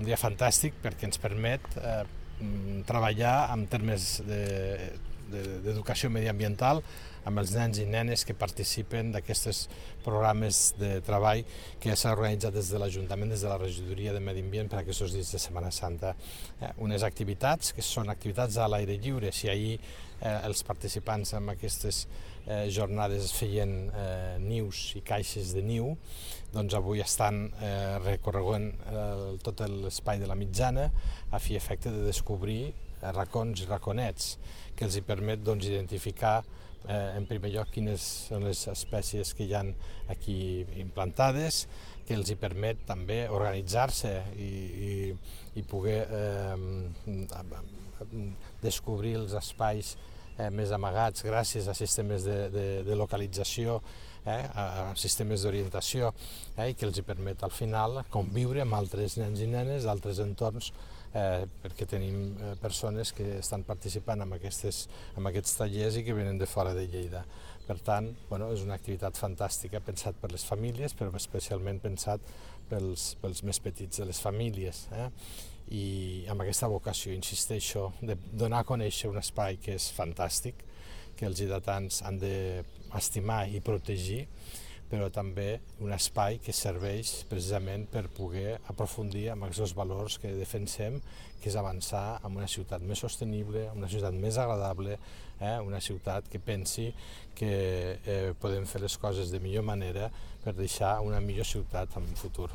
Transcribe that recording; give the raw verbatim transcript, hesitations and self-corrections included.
un dia fantàstic perquè ens permet eh, treballar en termes d'educació de, de, mediambiental amb els nens i nenes que participen d'aquests programes de treball que s'ha organitzat des de l'Ajuntament, des de la Regidoria de Medi Ambient per aquests dies de Setmana Santa. Eh, unes activitats que són activitats a l'aire lliure. Si ahir eh, els participants en aquestes eh, jornades feien eh, nius i caixes de niu, doncs avui estan eh, recorregant eh, tot l'espai de la Mitjana a fi i efecte de descobrir eh, racons i raconets que els hi permet doncs, identificar Eh, en primer lloc quines són les espècies que hi ha aquí implantades, que els hi permet també organitzar-se i, i, i poder eh, descobrir els espais eh, més amagats gràcies a sistemes de, de, de localització, eh, a sistemes d'orientació, eh, i que els hi permet al final conviure amb altres nens i nenes d'altres entorns, Eh, perquè tenim eh, persones que estan participant en, aquestes, en aquests tallers i que venen de fora de Lleida. Per tant, bueno, és una activitat fantàstica, pensat per les famílies, però especialment pensat pels, pels més petits de les famílies. Eh? I amb aquesta vocació, insisteixo, de donar a conèixer un espai que és fantàstic, que els lleidatans han d'estimar i protegir, però també un espai que serveix precisament per poder aprofundir en aquests valors que defensem, que és avançar en una ciutat més sostenible, una ciutat més agradable, eh? una ciutat que pensi que eh, podem fer les coses de millor manera per deixar una millor ciutat en un futur.